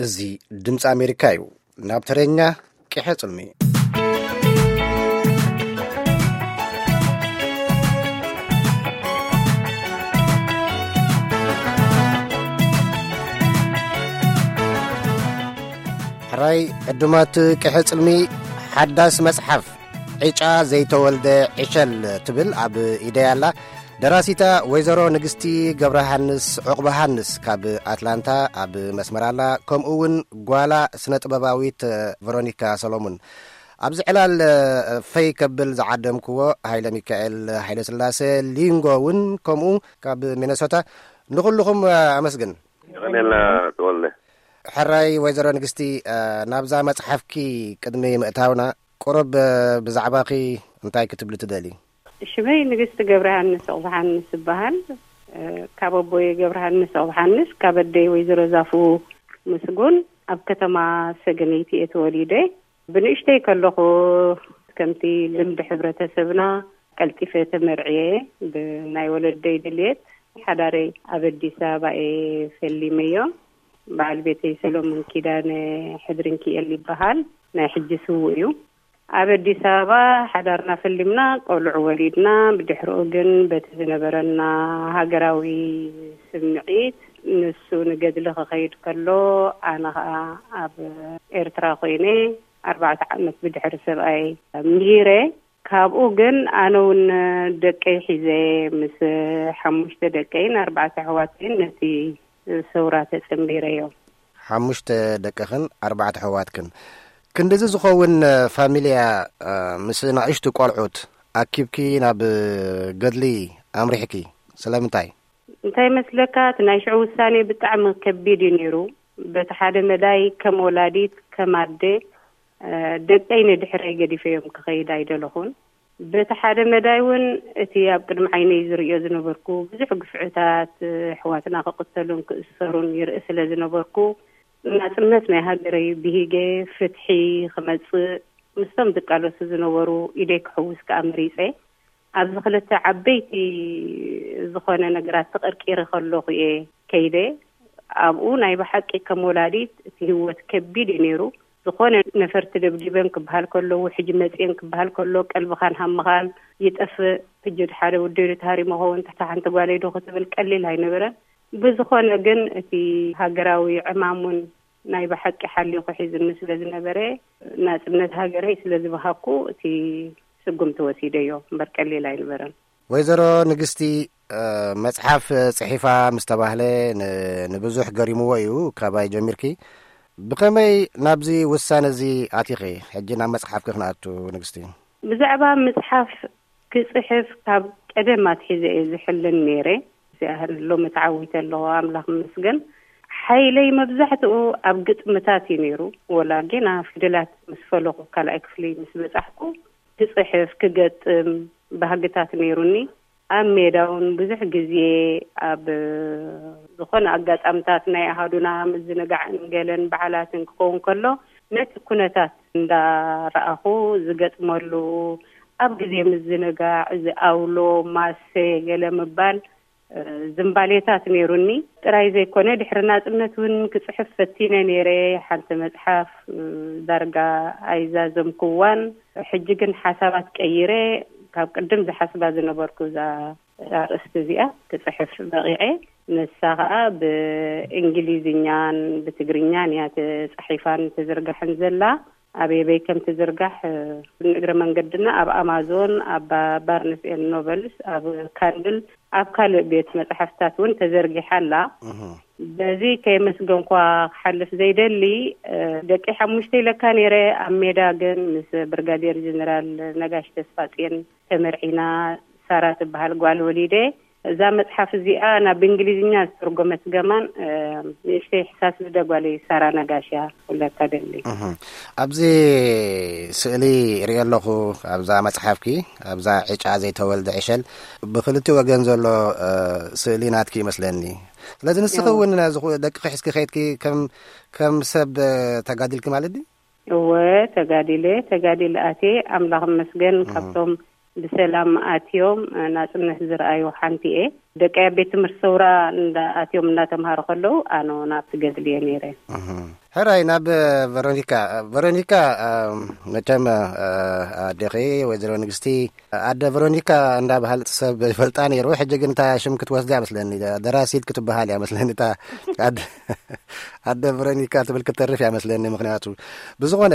እዚ ድምፂ ኣሜሪካ እዩ። ናብ ተረኛ ቅሐ ጽልሚ። ሕራይ ዕዱማት ቅሐ ጽልሚ፣ ሓዳስ መጽሓፍ ዕጫ ዘይተወልደ ዕሸል ትብል ኣብ ኢደይ ኣላ። ደራሲታ ወይዘሮ ንግስቲ ገብረሃንስ ዑቕባሃንስ ካብ ኣትላንታ ኣብ መስመር ኣላ። ከምኡ እውን ጓላ ስነ ጥበባዊት ቨሮኒካ ሰሎሙን። ኣብዚ ዕላል ፈይ ከብል ዝዓደምክዎ ሃይለ ሚካኤል ሃይለ ስላሴ ሊንጎ እውን ከምኡ ካብ ሚነሶታ። ንኹልኹም ኣመስግን። የቐኔልና ተወልደ። ሕራይ ወይዘሮ ንግስቲ፣ ናብዛ መጽሓፍኪ ቅድሚ ምእታውና ቁሩብ ብዛዕባኺ እንታይ ክትብሊ ትደሊ? ሽመይ ንግስቲ ገብረሃንስ ዑቕባሃንስ እበሃል። ካብ ኣቦየ ገብረሃንስ ዑቕባሃንስ፣ ካብ ኣደይ ወይዘሮ ዛፉ ምስጉን፣ ኣብ ከተማ ሰገነይቲ እየ ተወሊደ። ብንእሽተይ ከለኹ፣ ከምቲ ልምዲ ሕብረተሰብና፣ ቀልጢፈ ተመርዕየ። ብናይ ወለደይ ድልየት ሓዳረይ ኣብ ኣዲስ ኣበባ እየ ፈሊመዮ። በዓል ቤተይ ሰሎሞን ኪዳነ ሕድሪ እንኪኤል ይበሃል። ናይ ሕጂ ስዉእ እዩ። ኣብ ኣዲስ ኣበባ ሓዳርና ፈሊምና፣ ቆልዑ ወሊድና። ብድሕሪኡ ግን በቲ ዝነበረና ሃገራዊ ስምዒት፣ ንሱ ንገድሊ ክኸይድ ከሎ፣ ኣነ ኸኣ ኣብ ኤርትራ ኮይነ፣ ኣርባዕተ ዓመት ብድሕሪ ሰብኣይ ምሂረ። ካብኡ ግን ኣነ እውን ደቀይ ሒዘ፣ ምስ ሓሙሽተ ደቀይን ኣርባዕተ ኣሕዋተይን ነቲ ሰውራ ተጸንቢረዮ። ሓሙሽተ ደቅኽን ኣርባዕተ ኣሕዋትክን። ክንድዚ ዝኸውን ፋሚልያ፣ እ፣ ምስ ንኣሽቱ ቆልዑት ኣኪብኪ ናብ ገድሊ ኣምሪሕኪ። ስለምንታይ? እንታይ መስለካ፣ እቲ ናይ ሽዑ ውሳኔ ብጣዕሚ ከቢድ እዩ ነይሩ። በቲ ሓደ መዳይ ከም ወላዲት፣ ከም ኣደ፣ እ፣ ደቀይ ንድሕረይ ገዲፈዮም ክኸይድ ኣይደለኹን። በቲ ሓደ መዳይ እውን እቲ ኣብ ቅድሚ ዓይነይ ዝርእዮ ዝነበርኩ ብዙሕ ግፍዕታት፣ ኣሕዋትና ክቕተሉን ክእሰሩን ይርኢ ስለ ዝነበርኩ፣ ናጽነት ናይ ሃገረይ ብሂገ ፍትሒ ክመጽእ ምስቶም ዝቃለሱ ዝነበሩ ኢደይ ክሕውስ ከኣ መሪጸ። ኣብዚ ክልተ ዓበይቲ ዝኾነ ነገራት ተቐርቂረ ከለኹ እየ ከይደ። ኣብኡ ናይ ብሓቂ ከም ወላዲት እቲ ህይወት ከቢድ እዩ ነይሩ። ዝኾነ ነፈርቲ ደብዲበን ክበሃል ከሎ፣ ውሕጅ መጽየን ክበሃል ከሎ፣ ቀልብኻን ሃምኻን ይጠፍእ። ሕጂ ሓደ ወደይ ዶ ተሃሪሙ ኸውን፣ ትሕቲ ሓንቲ ጓለይ ዶ ክትብል ቀሊል ኣይነበረን። ብዝኾነ ግን እቲ ሃገራዊ ዕማም እውን ናይ ብሓቂ ሓሊኹ ሒዝኒ ስለ ዝነበረ፣ ናጽነት ሃገረይ ስለ ዝበሃኩ፣ እቲ ስጉምቲ ወሲደዮ እምበር ቀሊል ኣይነበረን። ወይዘሮ ንግስቲ፣ እ፣ መጽሓፍ ጽሒፋ ምስ ተባህለ ን-፣ ንብዙሕ ገሪምዎ እዩ፣ ካባይ ጀሚርኪ። ብኸመይ ናብዚ ውሳነ እዚ ኣቲኺ? ሕጂ ናብ መጽሓፍኪ ክንኣቱ፣ ንግስቲ። ብዛዕባ መጽሓፍ ክጽሕፍ ካብ ቀደም ኣትሒዘ እየ ዝሕልን ነይረ። እዚኣ ሎሚ ተዓዊተ ኣለኹ፣ ኣምላኽ ይመስገን። ሓይለይ መብዛሕትኡ ኣብ ግጥምታት እዩ ነይሩ። ወላ ጌና ፊደላት ምስ ፈለኹ፣ ካልኣይ ክፍሊ ምስ በጻሕኩ፣ ክጽሕፍ፣ ክገጥም ባህግታት ነይሩኒ። ኣብ ሜዳ እውን ብዙሕ ግዜ ኣብ ዝኾነ ኣጋጣምታት ናይ ኣሃዱና ምዝንጋዕን ገለን በዓላትን ክኸውን ከሎ፣ ነቲ ኩነታት እንዳረኣኹ ዝገጥመሉ፣ ኣብ ግዜ ምዝንጋዕ እዚ ኣውሎ፣ ማሰ፣ ገለ ምባል፣ እ፣ ዝንባሌታት ነይሩኒ። ጥራይ ዘይኮነ፣ ድሕሪ ናጽነት እውን ክጽሕፍ ፈቲነ ነይረ። ሓንቲ መጽሓፍ፣ እ፣ ዳርጋ ኣይዛዘምኩዋን። ሕጂ ግን ሓሳባት ቀይረ፣ ካብ ቅድም ዝሓስባ ዝነበርኩ እዛ ኣርእስቲ እዚኣ ክጽሕፍ በቒዐ። ንሳ ኸኣ ብእንግሊዝኛን ብትግርኛን እያ ተጻሒፋን ተዘርጋሕን ዘላ። ኣበይ ኣበይ ከም ትዝርጋሕ፣ እ፣ ንእግረ መንገድና ኣብ ኣማዞን፣ ኣብ ባ-፣ ባርንስ ኤንድ ኖበልስ፣ ኣብ ካንድል፣ ኣብ ካልእ ቤት መጻሕፍትታት እውን ተዘርጊሓ ኣላ። እህ። በዚ ከየመስገንኳ ክሓልፍ ዘይደሊ፣ እ፣ ደቂ ሓሙሽተ ኢለካ ነይረ። ኣብ ሜዳ ግን ምስ ብርጋዴር ጀነራል ነጋሽ ተስፋጽዮን ተመርዒና፣ ሳራ ትበሃል ጓል ወሊደ። እዛ መጽሓፍ እዚኣ ናብ እንግሊዝኛ ዝተርጎመት ገማን፣ እ፣ ንእሽተይ ሕሳስ ልደ ጓለይ ሳራ ነጋሽ እያ ክብለካ ደሊ። እህ። ኣብዚ ስእሊ እሪኦ ኣለኹ፣ ኣብዛ መጽሓፍኪ፣ ኣብዛ ዕጫ ዘይተወልደ ዕሸል፣ ብክልቲ ወገን ዘሎ፣ እ፣ ስእሊ ናትኪ ይመስለኒ። ስለዚ ንስኺ እዎ። እውን ነዚ ኩ-፣ ደቅኺ ሒዝኪ ከይድኪ ከም፣ ከም ሰብ፣ እ፣ ተጋዲልኪ ማለት ድዩ? እወ፣ ተጋዲለ፣ ተጋዲለ ኣትየ፣ ኣምላኽ ይመስገን፣ እህ። ካብቶም ብሰላም ኣትዮም፣ እ፣ ናጽነት ዝረኣዩ ሓንቲ እየ። ደቀይ ኣብ ቤት ትምህርቲ ሰውራ እንዳ ኣትዮም እናተምሃሩ ከለዉ ኣነ እውን ኣብቲ ገድል እየ ነይረ። እህ። ሕራይ ናብ ቨሮኒካ። ቨሮኒካ፣ እ፣ መቸም፣ እ፣ ኣዴኺ ወይዘሮ ንግስቲ፣ ኣደ ቨሮኒካ እንዳበሃል ሰብ ይፈልጣ ነይሩ። ሕጂ ግን እታ ሽም ክትወስዳ እያ መስለኒ። ደራሲት ክትበሃል እያ መስለኒ። እታ ኣደ፣ ኣደ ቨሮኒካ ትብል ክትተርፍ እያ መስለኒ። ምኽንያቱ ብዝኾነ፣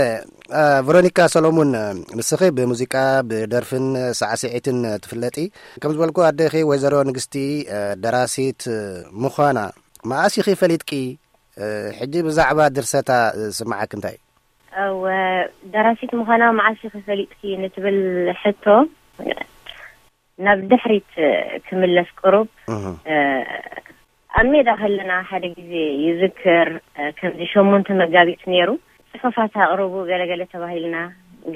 እ፣ ቨሮኒካ ሰሎሙን፣ ንስኺ ብሙዚቃ፣ ብደርፍን ሳዕስዒትን ትፍለጢ። ከም ዝበልኩ ኣዴኺ ወይዘሮ ንግስቲ፣ እ፣ ደራሲት ምዃና መኣስ ኢኺ ፈሊጥኪ? እ፣ ሕጂ ብዛዕባ ድርሰታ ዝስምዓኪ እንታይ እዩ? እወ፣ ደራሲት ምዃና መዓስ ኢኺ ፈሊጥኪ ንትብል ሕቶ፣ ናብ ድሕሪት ክምለስ ቅሩብ፣ እህ። እ፣ ኣብ ሜዳ ከለና ሓደ ግዜ ይዝክር፣ እ፣ ከምዚ ሸሞንተ መጋቢት ነይሩ፣ ጽሑፋት ኣቕርቡ ገለገለ ተባሂልና፣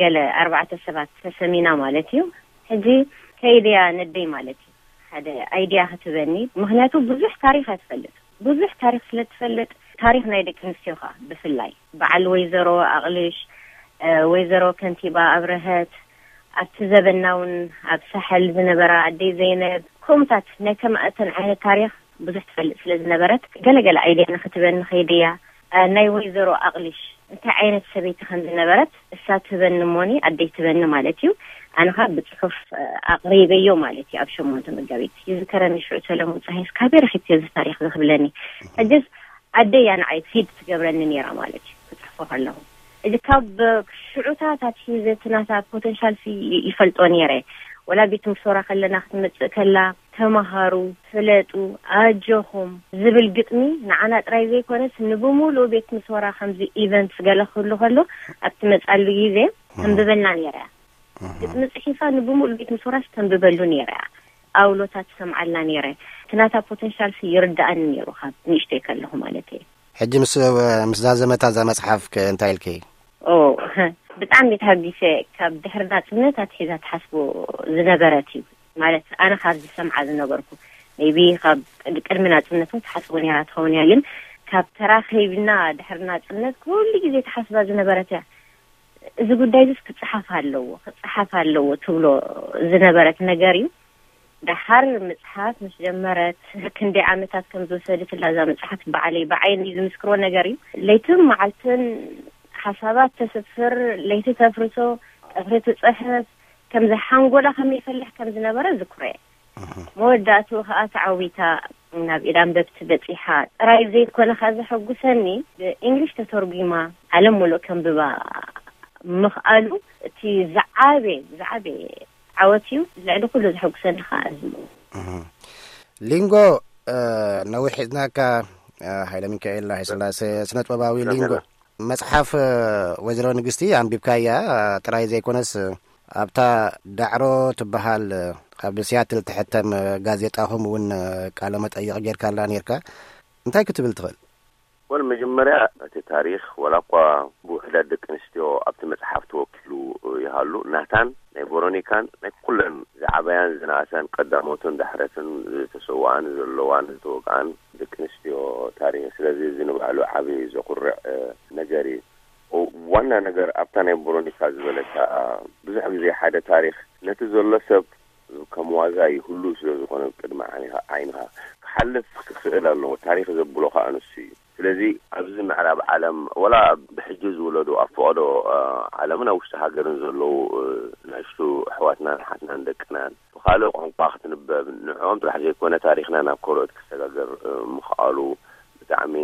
ገለ ኣርባዕተ ሰባት ተሰሚና ማለት እዩ። ሕጂ ከይደያ ነደይ ማለት እዩ። ሓደ ኣይድያ ክትበኒ፣ ምኽንያቱ ብዙሕ ታሪኽ እያ ትፈልጥ። ብዙሕ ታሪኽ ስለ ትፈልጥ፣ ታሪኽ ናይ ደቂ ኣንስትዮ ኸኣ ብፍላይ በዓል ወይዘሮ ኣቕልሽ፣ እ፣ ወይዘሮ ከንቲባ ኣብረሀት፣ ኣብቲ ዘበና እውን ኣብ ሳሕል ዝነበራ ኣደይ ዘይነብ፣ ከምኡታት ናይ ከማእተን ዓይነት ታሪኽ ብዙሕ ትፈልጥ ስለ ዝነበረት፣ ገለገለ ኣይድያ ንኽትበኒ ከይድያ፣ እ፣ ናይ ወይዘሮ ኣቕልሽ እንታይ ዓይነት ሰበይቲ ከም ዝነበረት እሳ ትበኒ እሞኒ ኣደይ ትበኒ ማለት እዩ። ኣነ ኸኣ ብጽሑፍ፣ እ፣ ኣቕሪበዮ ማለት እዩ። ኣብ ሸሞንተ መጋቢት ይዝከረኒ፣ ሽዑ ሰለሙን ጸሃይስ ካበይ ረኺብክዮ እዚ ታሪኽ እዚ ክብለኒ። ሕጅስ ኣደይ እያ ንዓይ ፊድ ትገብረኒ ነይራ ማለት እዩ፣ ክጽሕፎ ከለኹ። እዚ ካብ ሽዑታት ኣትሒዘ እቲ ናታ ፖተንሻል ሲ ይ-፣ ይፈልጦ ነይረ። ወላ ቤት ትምህርቲ ሶራ ከለና ክትመጽእ ከላ፣ "ተማሃሩ፣ ፍለጡ፣ ኣጆኹም" ዝብል ግጥሚ ንዓና ጥራይ ዘይኮነስ ንብሙሉእ ቤት ትምህርቲ ሶራ ከምዚ ኢቨንትስ ገለ ክህሉ ከሎ፣ ኣብ ትመጻሉ ግዜ ተንብበልና ነይራ እያ። ግጥሚ ጽሒፋ ንብሙሉእ ቤት ትምህርቲ ሶራስ ተንብበሉ ነይራ እያ። ኣውሎታት ትሰምዓልና ነይረ። እቲ ናታ ፖተንሻል ሲ ይርድኣኒ ነይሩ ካብ ንእሽተይ ከለኹ ማለት እየ። ሕጂ ምስ፣ ምስ ዛዘመታ እዛ መጽሓፍ ከ እንታይ ኢልኪ? ኦ፣ ብጣዕሚ ተሃጊሰ። ካብ ድሕሪ ናጽነት ኣትሒዛ ትሓስቦ ዝነበረት እዩ። ማለት፣ ኣነ ካብ ዝሰምዓ ዝነበርኩ፣ ሜይቢ ካብ ቅድ-፣ ቅድሚ ናጽነት እውን ትሓስቦ ነይራ ትኸውን እያ፣ ግን ካብ ተራኺብና ድሕሪ ናጽነት ኩሉ ግዜ ትሓስባ ዝነበረት እያ። እዚ ጉዳይ እዚስ ክጸሓፍ ኣለዎ፣ ክጸሓፍ ኣለዎ ትብሎ ዝነበረት ነገር እዩ። ደሓር ምጽሓፍ ምስ ጀመረት ክንደይ ዓመታት ከም ዝወሰደትላ እዛ መጽሓፍ ባዕለይ ብዓይነይ ዝምስክሮ ነገር እዩ። ለይትን መዓልትን ሓሳባት ተስፍር፣ ለይቲ ተፍርሶ፣ ቀትሪ ትጽሕፍ፣ ከምዚ ሓንጎላ ከመይ ይፈልሕ ከም ዝነበረ ዝክሮ እየ። መወዳእትኡ ከኣ ተዓዊታ ናብ ኢድ ኣንበብቲ በጺሓ ጥራይ ዘይኮነ ከኣ ዘሐጉሰኒ፣ ብእንግሊሽ ተተርጒማ ዓለም ሙሉእ ከንብባ ምኽኣሉ እቲ ዝዓበየ፣ ዝዓበየ ዓወት እዩ። ልዕሊ ኩሉ ዘሐጉሰኒ ከኣ እዚ እዩ። እህ። ሊንጎ፣ እ፣ ነዊሕ ሒዝናካ፣ እ፣ ሃይለ ሚካኤል ሃይለስላሴ፣ ስነ ጥበባዊ ሊንጎ። መጽሓፍ፣ እ፣ ወይዘሮ ንግስቲ ኣንቢብካያ፣ እ፣ ጥራይ ዘይኮነስ፣ እ፣ ኣብታ ዳዕሮ ትበሃል፣ እ፣ ኣብ ሲያትል ትሕተም፣ እ፣ ጋዜጣኹም እውን፣ እ፣ ቃለ መጠይቕ ጌርካላ ኔርካ። እንታይ ክትብል ትኽእል? ወል፣ መጀመርያ እቲ ታሪኽ፣ ወላ እኳ ብውሕዳት ደቂ ኣንስትዮ ኣብቲ መጽሓፍ ተወኪሉ ይሃሉ፣ ናታን ናይ ቨሮኒካን ናይ ኩለን ዝዓበያን ዝነኣሰን፣ ቀዳሞትን ዳሕረትን፣ ዝተሰውኣን ዘለዋን ዝተወግኣን ደቂ ኣንስትዮ ታሪኽ። ስለዚ እዚ ንባዕሉ ዓቢ ዘኹርዕ፣ እ፣ ነገር እዩ። ኦ፣ ዋና ነገር ኣብታ ናይ ቨሮኒካ ዝበለታ፣ ብዙሕ ግዜ ሓደ ታሪኽ ነቲ ዘሎ ሰብ ከም ዋዛ ይህሉ ስለ ዝኾነ፣ ቅድሚ ዓይንኻ፣ ዓይንኻ ክሓልፍ ክኽእል ኣለዎ። ታሪኽ ዘብሎ ኸኣ ንሱ እዩ። ስለዚ ኣብዚ ምዕራብ ዓለም፣ ወላ ብሕጂ ዝውለዱ ኣብ ፈቐዶ፣ እ፣ ዓለምን ኣብ ውሽጢ ሃገርን ዘለዉ፣ እ፣ ንኣሽቱ ኣሕዋትናን ሓትናን ደቅናን ብኻልእ ቋንቋ ክትንበብ፣ ንዕኦም ጥራሕ ዘይኮነ ታሪኽና ናብ ካልኦት ክሰጋገር፣ እ፣ ምኽኣሉ ብጣዕሚ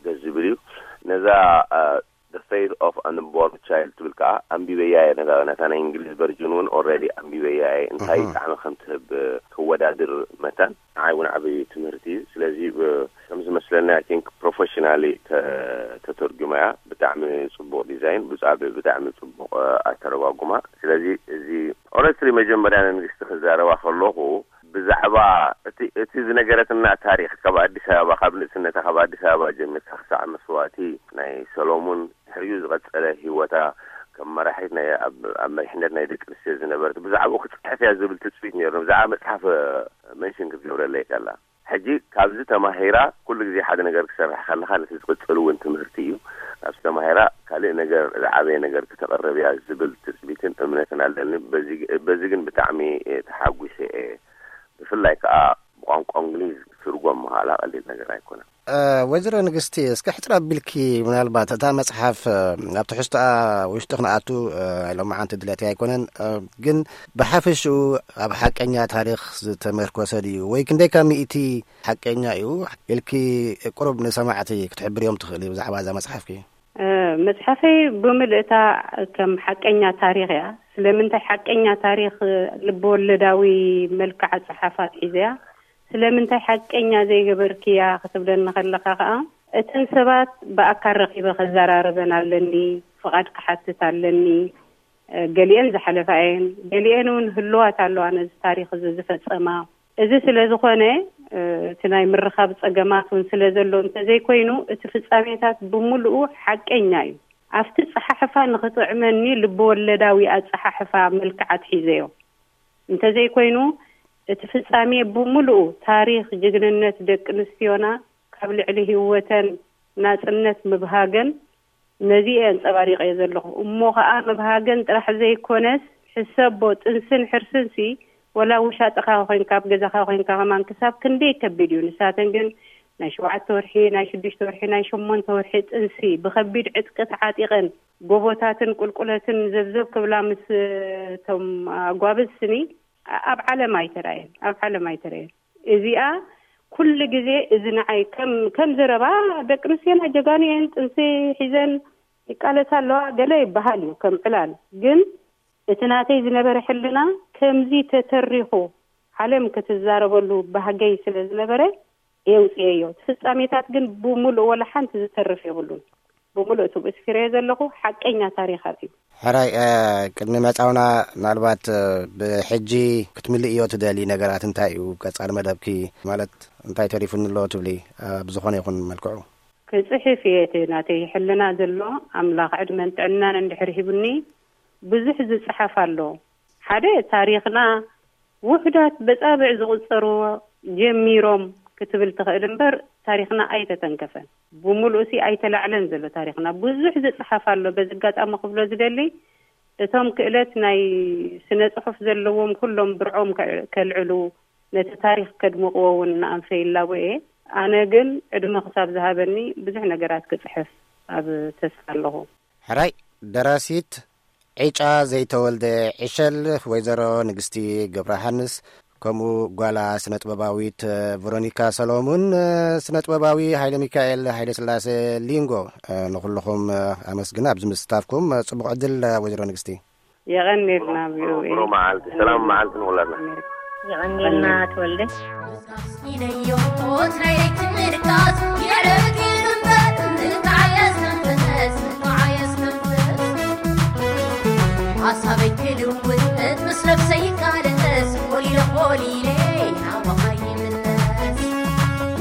ደስ ዝብል እዩ። ነዛ፣ እ፣ The Fate of Unborn Child ትብል ከኣ ኣንቢበያ እየ። ነታ፣ ነታ ናይ እንግሊዝ ቨርጅን እውን ኦልሬዲ ኣንቢበያ እየ። እንታይ እህ። ጣዕሚ ከም ትህብ ክወዳድር መታን ንዓይ እውን ዓቢ ትምህርቲ እዩ። ስለዚ፣ ብ-፣ ከም ዝመስለኒ፣ I think፣ ፕሮፌሽናሊ ተ-፣ ተተርጉማ እያ። ብጣዕሚ ጽቡቕ ዲዛይን፣ ብጻ-፣ ብጣዕሚ ጽቡቕ፣ እ፣ ኣተረጓጉማ። ስለዚ እዚ ኦነስትሊ መጀመርያ ንንግስቲ ክዛረባ ከለኹ፣ ብዛዕባ እቲ፣ እቲ ዝነገረትና ታሪኽ፣ ካብ ኣዲስ ኣበባ፣ ካብ ንእስነታ፣ ካብ ኣዲስ ኣበባ ጀሚርካ ክሳዕ መስዋእቲ ናይ ሰሎሙን፣ ድሕሪኡ ዝቐጸለ ህይወታ ከም መራሒት ናይ፣ ኣብ፣ ኣብ መሪሕነት ናይ ደቂ ኣንስትዮ ዝነበረት፣ ብዛዕባኡ ክትጽሕፍ እያ ዝብል ትጽቢት ነይሩ። ብዛዕባ መጽሓፍ መንሽን ክትገብረለይ ከላ፣ ሕጂ ካብዚ ተማሂራ ኩሉ ግዜ ሓደ ነገር ክሰርሕ ከለኻ፣ ነቲ ዝቕጽል እውን ትምህርቲ እዩ። ካብዚ ተማሂራ ካልእ ነገር፣ ዝዓበየ ነገር ክተቕርብ እያ ዝብል ትጽቢትን እምነትን ኣለኒ። በዚ፣ በዚ ግን ብጣዕሚ ተሓጒሰ እየ። ብፍላይ ከኣ ቋንቋ እንግሊዝ ትርጎም ምሃላ ቀሊል ነገር ኣይኮነን። እ፣ ወይዘሮ ንግስቲ፣ እስከ ሕጽር ኣቢልኪ፣ ምናልባት እታ መጽሓፍ፣ እ፣ ኣብ ትሕዝቶኣ ውሽጢ ክንኣቱ፣ እ፣ ሎማዓንቲ ድሌት ኣይኮነን፣ እ፣ ግን ብሓፈሽኡ ኣብ ሓቀኛ ታሪኽ ዝተመርኮሰ ድዩ? ወይ ክንደይ ካብ ሚእቲ ሓቀኛ እዩ ኢልኪ ቁሩብ ንሰማዕቲ ክትሕብርዮም ትኽእሊ ብዛዕባ እዛ መጽሓፍኪ? እ፣ መጽሓፈይ ብምልእታ ከም ሓቀኛ ታሪኽ እያ። ስለምንታይ ሓቀኛ ታሪኽ ልብወለዳዊ መልክዓ ጸሓፋ ኣትሒዘያ? ስለምንታይ ሓቀኛ ዘይገበርክያ ክትብለኒ ከለኻ ከኣ፣ እተን ሰባት ብኣካል ረኺበ ከዘራርበን ኣለኒ፣ ፍቓድ ክሓትት ኣለኒ። እ፣ ገሊኤን ዝሓለፋ እየን፣ ገሊኤን እውን ህልዋት ኣለዋ ነዚ ታሪኽ እዚ ዝፈጸማ። እዚ ስለ ዝኾነ፣ እ፣ እቲ ናይ ምርኻብ ጸገማት እውን ስለ ዘሎ እንተዘይኮይኑ፣ እቲ ፍጻሜታት ብምሉኡ ሓቀኛ እዩ። ኣብቲ ጸሓሕፋ ንኽጥዕመኒ ልብወለዳዊ ኣጸሓሕፋ መልክዕ ኣትሒዘዮ። እንተዘይኮይኑ፣ እቲ ፍጻሜ ብምሉኡ ታሪኽ ጅግንነት ደቂ ኣንስትዮና፣ ካብ ልዕሊ ህይወተን ናጽነት ምብሃገን፣ ነዚ እየ ኣንጸባሪቐዮ ዘለኹ። እሞ ኸኣ ምብሃገን ጥራሕ ዘይኮነስ፣ ሕሰቦ፣ ጥንስን ሕርስንሲ፣ ወላ ውሻጥኻ ኮይንካ፣ ኣብ ገዛኻ ኮይንካ ከማን ክሳብ ክንደይ ከቢድ እዩ። ንሳተን ግን ናይ ሸውዓተ ወርሒ፣ ናይ ሽዱሽተ ወርሒ፣ ናይ ሸሞንተ ወርሒ ጥንሲ ብኸቢድ ዕጥቂ ተዓጢቐን፣ ጎቦታትን ቁልቁለትን ዘብዘብ ክብላ ምስ እቶም ኣጓብዝ ስኒ፣ ኣብ ዓለም ኣይተራእየን፣ ኣብ ዓለም ኣይተራእየን። እዚኣ ኩሉ ግዜ እዚ ንዓይ ከም፣ ከም ዘረባ፣ ደቂ ኣንስትዮና ጀጋኑ እየን፣ ጥንሲ ሒዘን ይቃለሳ ኣለዋ፣ ገለ ይበሃል እዩ ከም ዕላል። ግን እቲ ናተይ ዝነበረ ሕልና ከምዚ ተተሪኹ ዓለም ክትዛረበሉ ባህገይ ስለ ዝነበረ የውፅኤዮ። እቲ ፍጻሜታት ግን ብምሉእ ወላ ሓንቲ ዝተርፍ የብሉን። ብምሉእ እቲ ብስፊረዮ ዘለኹ ሓቀኛ ታሪኻት እዩ። ሕራይ፣ እ፣ ቅድሚ ምዕጻውና፣ ምናልባት፣ እ፣ ብሕጂ ክትምልእዮ ትደሊ ነገራት እንታይ እዩ? ቀጻሊ መደብኪ ማለት እንታይ ተሪፉኒ ኣሎ ትብሊ? እ፣ ብዝኾነ ይኹን መልክዑ። ክጽሕፍ እየ፣ እቲ ናተይ ሕልና ዘሎ፣ ኣምላኽ ዕድመን ጥዕናን እንድሕር ሂቡኒ፣ ብዙሕ ዝጽሓፍ ኣሎ። ሓደ፣ ታሪኽና ውሑዳት በጻብዕ ዝቑጸሩ ጀሚሮም ክትብል ትኽእል እምበር፣ ታሪኽና ኣይተተንከፈን። ብምሉእሲ ኣይተላዕለን ዘሎ ታሪኽና። ብዙሕ ዝጽሓፍ ኣሎ። በዚ ኣጋጣሚ ክብሎ ዝደሊ፣ እቶም ክእለት ናይ ስነ ጽሑፍ ዘለዎም ኩሎም ብርዖም ከ-፣ ከልዕሉ፣ ነቲ ታሪኽ ከድምቕዎ እውን ንኣንፈ ይላቦ እየ። ኣነ ግን ዕድመ ክሳብ ዝሃበኒ ብዙሕ ነገራት ክጽሕፍ ኣብ ተስፋ ኣለኹ። ሕራይ፣ ደራሲት ዕጫ ዘይተወልደ ዕሸል ወይዘሮ ንግስቲ ገብረሃንስ፣ ከምኡ ጓላ ስነ ጥበባዊት ቨሮኒካ ሰሎሙን፣ ስነ ጥበባዊ ሃይለ ሚካኤል ሃይለ ስላሴ ሊንጎ፣ ንኹልኹም ኣመስግን ኣብዚ ምስታፍኩም። ጽቡቕ ዕድል ወይዘሮ ንግስቲ። የቐንየልና። ቪኦኤ። ብሩህ መዓልቲ፣ ሰላም መዓልቲ ንኹላትና። የቐንየልና ተወልደ። ኢለዮ ትራይ ትምርካስ የዕረብኪ እምበር ንተዓየስ መንፈስ፣ ንተዓየስ መንፈስ። ሓሳበይ ክልውጥ ምስ ነፍሰይ ይቃለስ፣ ቆሊለ ቆሊለ ናባኻ ይምለስ።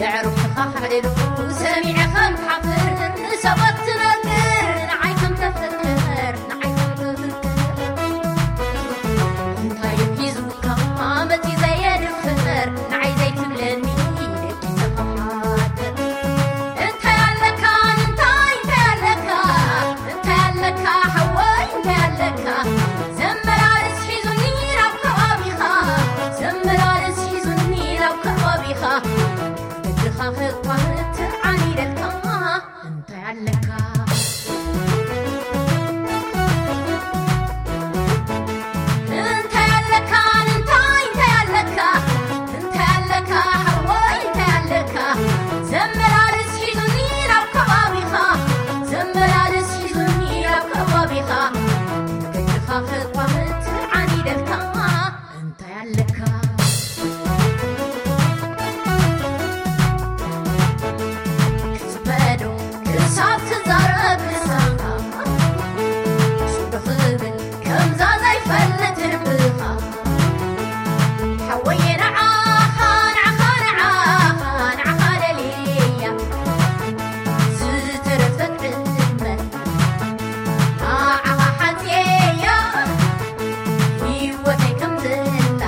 የዕሩኽትኻ ክዕልሉ ሰሚዐ ከም ክሓፍር፣ ንሰባት ትነግር ንዓይ ከም ተፍቅር፣ ንዓይ ከም ተፍቅር። እንታይ ሒዙካ መጺ ዘየድፍር፣ ንዓይ ዘይትብለኒ ደቂሰ ክሓድር። እንታይ ኣለካ፣ እንታይ፣ እንታይ ኣለካ፣ እንታይ ኣለካ ሓወይ፣ እንታይ ኣለካ? ዘመላልስ ሒዙኒ ናብ ከባቢኻ፣ ዘመላልስ ሒዙኒ ናብ ከባቢኻ። እግርኻ ክኳ ትዓኒደልካ፣ እንታይ ኣለካ? እንታይ ኣለካ? እንታይ፣ እንታይ ኣለካ? እንታይ ኣለካ ሓወይ? እንታይ ኣለካ? ዘመላልስ ሒዙኒ ናብ ከባቢኻ፣ ዘመላልስ ሒዙኒ ናብ ከባቢኻ። እግርኻ ክኳ ትዓኒደልካ፣ እንታይ ኣለካ? ክጽበዶ ክሳብ ክዛረብ ልሳንካ፣ ስዶ ክብል ከምዛ ዘይፈልጥ ልብኻ። ሓወየ ንዓኻ፣ ንዓኻ፣ ንዓኻ፣ ንዓኻ ደልየያ። ዝተረፈት ዕድመ ንዓኻ ሓጽየያ። ህይወተይ ከም ዘላ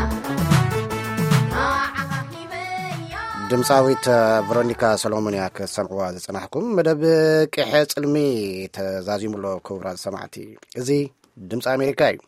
ንዓኻ ሂበያ። ድምፃዊት ቨሮኒካ ሰሎሞን እያ ክትሰምዕዋ ዝጸናሕኩም። መደብ ቅሐ ጽልሚ ተዛዚሙ ኣሎ፣ ክቡራት ሰማዕቲ። እዚ ድምፂ ኣሜሪካ እዩ።